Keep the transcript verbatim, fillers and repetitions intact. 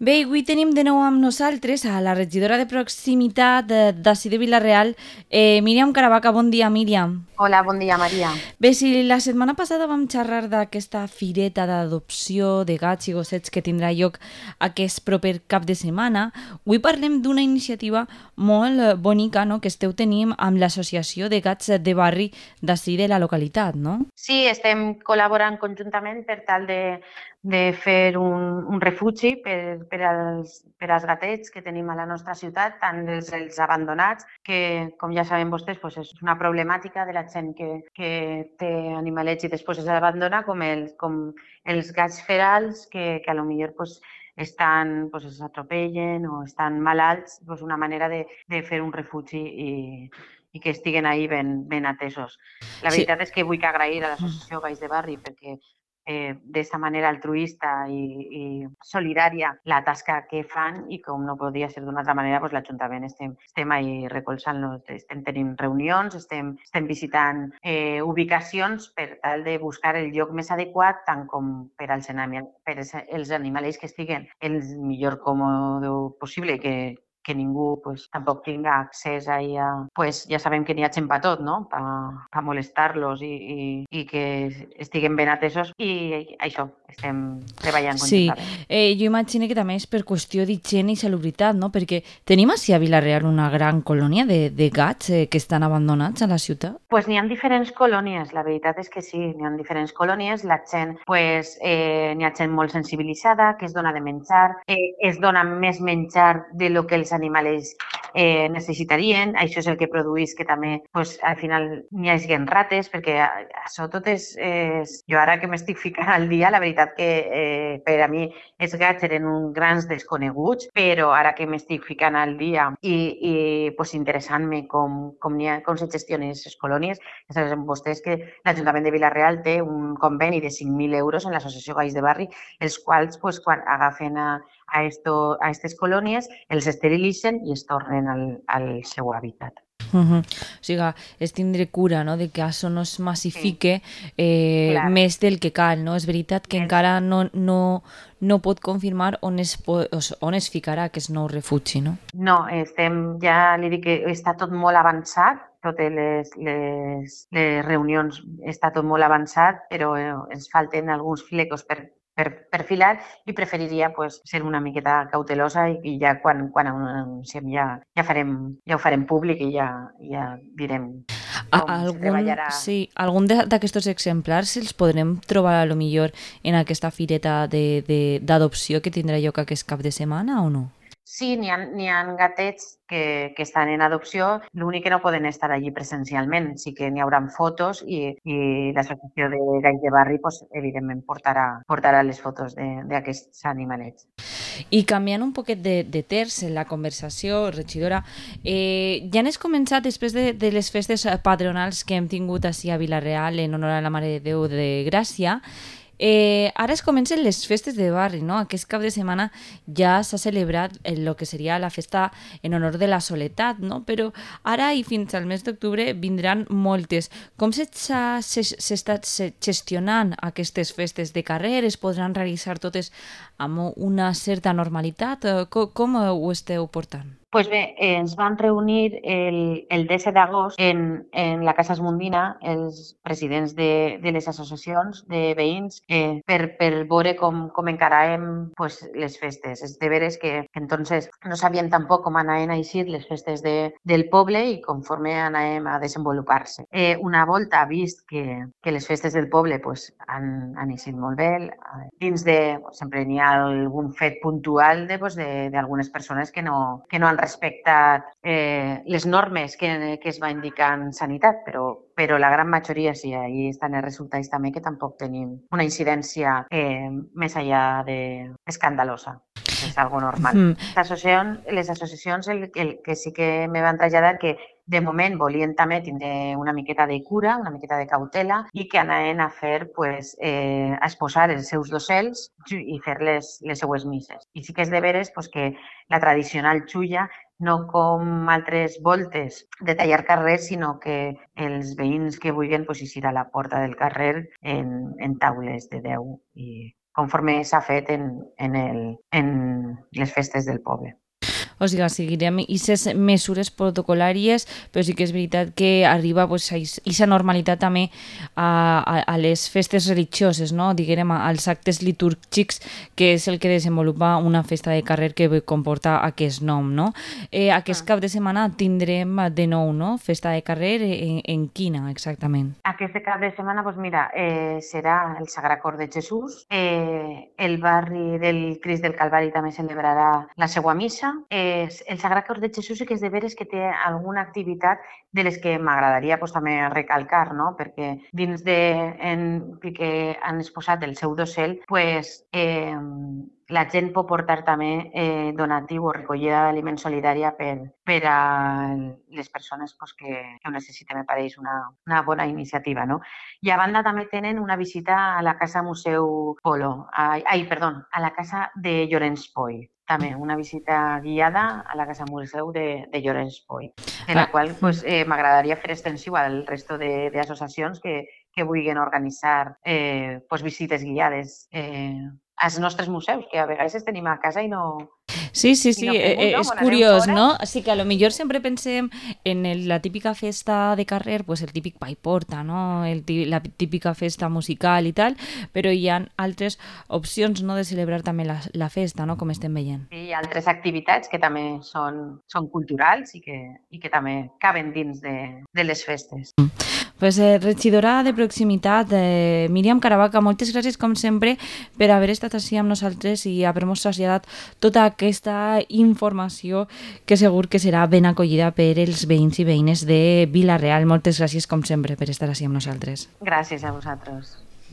Bé, avui tenim de nou amb nosaltres a la regidora de proximitat de- d'ací de Vila-real, eh, Míriam Caravaca. Bon dia, Míriam. Hola, bon dia, Maria. Bé, si la setmana passada vam xerrar d'aquesta fireta d'adopció de gats i gossets que tindrà lloc aquest proper cap de setmana, avui parlem d'una iniciativa molt eh, bonica, no?, que esteu tenint amb l'Associació de Gats de Barri d'ací de la localitat, no? Sí, estem col·laborant conjuntament per tal de, de fer un, un refugi per, per, als, per als gatets que tenim a la nostra ciutat, tant els, els abandonats, que com ja saben vostès pues és una problemàtica de la gent que, que té animalets i després els abandona, com els, com els gats ferals que, que a lo millor pues, estan, pues, els atropellen o estan malalts, pues una manera de, de fer un refugi i, i que estiguen ahí ben, ben atesos. La Sí. veritat és que vull agrair a l'associació Gais de Barri perquè eh, d'aquesta manera altruista i, i solidària la tasca que fan i com no podria ser d'una altra manera, doncs l'Ajuntament estem, estem ahí recolzant-los, estem tenint reunions, estem, estem visitant eh, ubicacions per tal de buscar el lloc més adequat tant com per als, per als animals que estiguen el millor còmode possible que que ningú pues, tampoc tinga accés ahí a... Pues ja sabem que n'hi ha gent per tot, no? Per pa molestar-los i, i, i que estiguen ben atesos i això, estem treballant Sí, conjuntament. eh, jo imagino que també és per qüestió d'higiene i salubritat, no? Perquè tenim així a Vila-real una gran colònia de, de gats eh, que estan abandonats a la ciutat. Pues n'hi ha diferents colònies, la veritat és que sí, n'hi ha diferents colònies, la gent, pues, eh, n'hi ha gent molt sensibilitzada, que es dona de menjar, eh, es dona més menjar de lo que els animals eh, necessitarien, això és el que produeix que també pues, al final n'hi hagi rates, perquè això tot és, és... Jo ara que m'estic ficant al dia, la veritat que eh, per a mi els gats eren uns grans desconeguts, però ara que m'estic ficant al dia i, i pues, interessant-me com, com, ha, com se gestionen aquestes colònies, ja saben vostès que l'Ajuntament de Vila-real té un conveni de cinc mil euros en l'Associació Gais de Barri, els quals pues, quan agafen a, a, esto, a aquestes colònies els esterilitzen i es tornen al, al seu hàbitat. Uh -huh. O sigui, és tindre cura, no?, de que això no es massifique eh, Clar. més del que cal, no? És veritat que Més. encara no, no, no pot confirmar on es, po- o sigui, on es ficarà aquest nou refugi, no? No, estem, ja li dic que està tot molt avançat, totes les, les, les reunions està tot molt avançat, però eh, ens falten alguns flecos per, per, per filar i preferiria pues, ser una miqueta cautelosa i, i ja quan, quan anunciem ja, ja, farem, ja ho farem públic i ja, ja direm A, com se algun, treballarà. sí, algun de- d'aquests exemplars els podrem trobar a lo millor en aquesta fireta de- de- d'adopció que tindrà lloc aquest cap de setmana o no? Sí, n'hi ha, n'hi ha gatets que, que estan en adopció, l'únic que no poden estar allí presencialment. Sí que n'hi haurà fotos i, i l'Associació de Gais de Barri, pues, evidentment, portarà, portarà les fotos d'aquests animalets. I canviant un poquet de, de terç en la conversació, regidora, eh, ja n'has començat després de, de les festes patronals que hem tingut així a Vila-real en honor a la Mare de Déu de Gràcia. Eh, ara es comencen les festes de barri, no? Aquest cap de setmana ja s'ha celebrat el que seria la festa en honor de la soledat, no? Però ara i fins al mes d'octubre vindran moltes. Com s'està gestionant aquestes festes de carrer? Es podran realitzar totes amb una certa normalitat? Com, com ho esteu portant? Pues bé, eh, ens vam reunir el, el disset d'agost en, en la Casa Esmundina, els presidents de, de les associacions de veïns, eh, per, per veure com, com encaràvem pues, les festes. És de veres que, que entonces no sabien tampoc com anaven a eixir les festes de, del poble i conforme anàvem a desenvolupar-se. Eh, una volta vist que, que les festes del poble pues, han, han eixit molt bé, dins de... Sempre n'hi ha algun fet puntual d'algunes persones que no, que no han respectat eh, les normes que, que es va indicar en sanitat, però, però la gran majoria sí, ahí estan els resultats també que tampoc tenim una incidència eh, més allà de escandalosa. És algo normal. Mm. Les associacions, les associacions el, el que sí que me van traslladar que de moment volien també tindre una miqueta de cura, una miqueta de cautela i que anaven a fer, pues, eh, a exposar els seus docels i fer les, les seues misses. I sí que és de veres pues, que la tradicional xulla no com altres voltes de tallar carrers, sinó que els veïns que vulguin pues, eixir a la porta del carrer en, en taules de deu i conforme s'ha fet en, en, el, en, les festes del poble. O sigui, seguirem aquestes mesures protocolàries, però sí que és veritat que arriba aquesta normalitat també a, a, a les festes religioses, no? Diguem, als actes litúrgics, que és el que desenvolupa una festa de carrer que comporta aquest nom, no? Eh, aquest cap de setmana tindrem de nou, no? Festa de carrer, en, en quina exactament? Aquest cap de setmana, doncs mira, eh, serà el Sagrat Cor de Jesús, eh, el barri del Crist del Calvari també celebrarà la seva missa. Eh, el Sagrat Cor de Jesús sí que és de veres que té alguna activitat de les que m'agradaria pues, també recalcar, no? Perquè dins de en, que han exposat el seu dossel, pues, eh, la gent pot portar també eh, donatiu o recollida d'aliment solidària per, per a les persones pues, que, que ho necessiten. Me pareix una, una bona iniciativa, no? I a banda també tenen una visita a la Casa Museu Polo, ai, ai perdó, a la Casa de Llorenç Poi. També una visita guiada a la Casa Museu de, de Llorenç Poi, de la ah. qual pues, eh, m'agradaria fer extensiu al resto d'associacions que, que vulguin organitzar eh, pues, visites guiades eh, als nostres museus, que a vegades tenim a casa i no... Sí, sí, sí, no fem, no? És bueno, curiós, no? Així que a lo millor sempre pensem en el, la típica festa de carrer, pues el típic pa i porta, no? El, la típica festa musical i tal, però hi ha altres opcions, no?, de celebrar també la, la festa, no?, com estem veient. Sí, hi ha altres activitats que també són, són culturals i que, i que també caben dins de, de les festes. Mm. Pues, eh, regidora de proximitat, eh, Míriam Caravaca, moltes gràcies com sempre per haver estat així amb nosaltres i haver-nos traslladat tota aquesta informació que segur que serà ben acollida per els veïns i veïnes de Vila-real. Moltes gràcies com sempre per estar així amb nosaltres. Gràcies a vosaltres.